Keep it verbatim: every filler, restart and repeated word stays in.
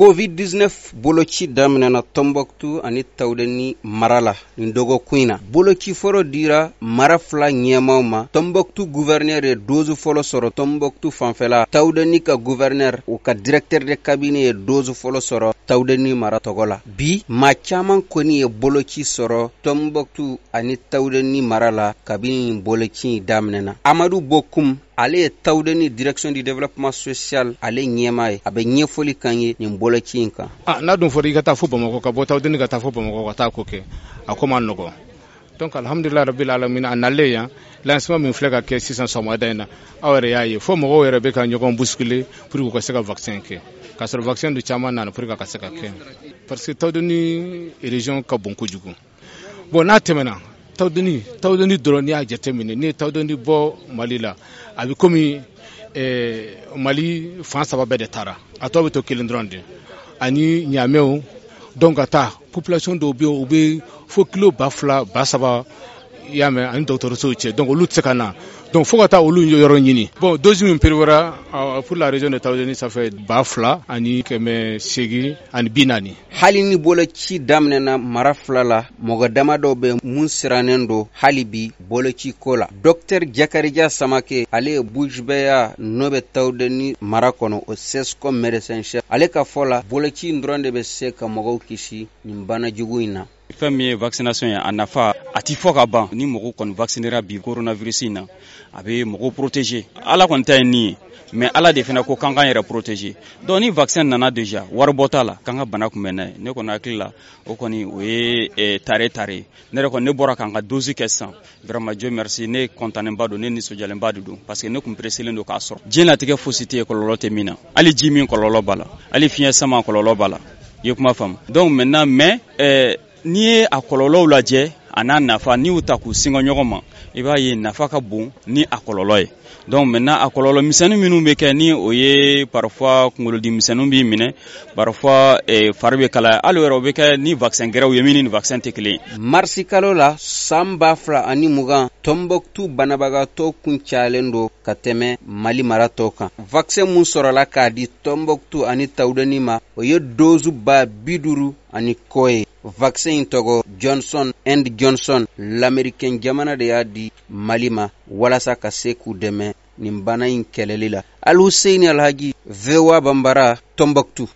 Covid dix-neuf boloci daminɛna Tombouctou ani Tawudeni mara la nin dɔgɔkun in na. Boloci fɔlɔ dira mara fila ɲɛmaaw ma. Tombouctou gouverneur ye dose fɔlɔ sɔrɔ Tombouctou fanfɛla. Tawudeni ka gouverneur, o ka directeur de cabinet ye dose fɔlɔ sɔrɔ Tawudeni mara tɔgɔ la. Bi maa caman kɔni ye boloci sɔrɔ Tombouctou ani Tawudeni mara la kabini nin boloci in daminɛna. Amadu Bokum, ale ye Tawudeni direction du développement social ale ɲɛmaa ye. A bɛ ɲɛfɔli kan ye nin boloci in kan. Ah, n'a dun fɔra i ka taa fo Bamakɔ, ka bɔ Tawudeni ka taa fo Bamakɔ ka taa ko kɛ, a ko ma nɔgɔn. Donc alhamdulilayi rabbil alamin, a nalen yan, lancement min filɛ ka kɛ sisan sɔgɔmada in na, aw yɛrɛ y'a ye fo mɔgɔw yɛrɛ bɛ ka ɲɔgɔn bousculer pour que u ka se ka vaccin kɛ, k'a sɔrɔ vaccin dun caman nana pour que a ka se ka kɛ, parce que Tawudeni région ka bon kojugu. Bon, n'a tɛmɛna Tawudeni, Tawudeni dɔrɔn, n'i y'a jateminɛ, n'i ye Tawudeni bɔ Mali la, a bɛ komi eh, Mali fan saba bɛɛ de taara, a tɔ bɛ to kelen dɔrɔn de ani Ɲamɛw. Donc ka taa population dɔw bɛ yen, u bɛ fo kilo ba fila ba saba, i y'a mɛn, ani dɔgɔtɔrɔsow cɛ, donc olu tɛ se ka na, donc fo ka taa olu yɔrɔ ɲini. Bon, dose min prévoira pour la région de Tawudeni, ça fait ba fila ani kɛmɛ seegin ani bi naani. Hali ni boloci daminɛna mara fila la, mɔgɔ dama dɔw bɛ mun sirannen don hali bi boloci ko la. Docteur Jakarija Samake, ale ye Bujbeya n'o bɛ Tawudeni mara kɔnɔ, o CSCOM médecin chef, ale ka fɔ la, boloci in dɔrɔn de bɛ se ka mɔgɔw kisi nin bana jugu in na. Fɛn min ye vaccination ye, a nafa a ti fɔ ka ban. Ni mɔgɔw kɔni vaccinera bi coronavirus in na, a bɛ mɔgɔw protéger. Ala kɔni ta ye nin ye, mais Ala de fana ko k'an k'an yɛrɛ protéger. Donc ni vaccin nana déjà, wari bɔ t'a la, k'an ka bana kunbɛn n'a ye. Ne kɔni hakili la, o kɔni o ye tare tare. Ne yɛrɛ kɔni, ne bɔra k'an ka dose kɛ sisan. Vraiment, Dieu merci, ne content ba don, ne nisɔndiyalenba de don, parce que ne kun pressé don k'a sɔrɔ. Diɲɛlatigɛ fosi tɛ yen kɔlɔlɔ tɛ min na. Hali ji min kɔlɔlɔ b'a la, hali fiɲɛ sama kɔlɔlɔ b'a la, i ye kuma faamu. Donc maintenant, mais euh, n'i ye a kɔlɔlɔw lajɛ a n'a nafa, n'i y'u ta k'u singa ɲɔgɔn ma, i b'a ye nafa ka bon ni a kɔlɔlɔ ye. Donc maintenant, a kɔlɔlɔ misɛnnin minnu bɛ kɛ, ni o ye parfois kunkolodimi misɛnninw b'i minɛ, parfois eh, fari bɛ kalaya, hali o yɛrɛ o bɛ kɛ ni vaccin gɛrɛw ye min ni vaccin tɛ kelen ye. Marisi kalo la san ba fila ani mugan, Tombouctou banabagatɔ kun cayalen don ka tɛmɛ Mali mara tɔw kan. Vaccin mun sɔrɔla k'a di Tombouctou ani Tawudeni ma, o ye dose ba bi duuru ani kɔ ye. Vaccin in tɔgɔ Johnson and Johnson. Lamɛrikɛn jamana de y'a di Mali ma walasa ka se k'u dɛmɛ nin bana in kɛlɛli la. Alhuseini Alhaji, V O A Bambara, Tombouctou.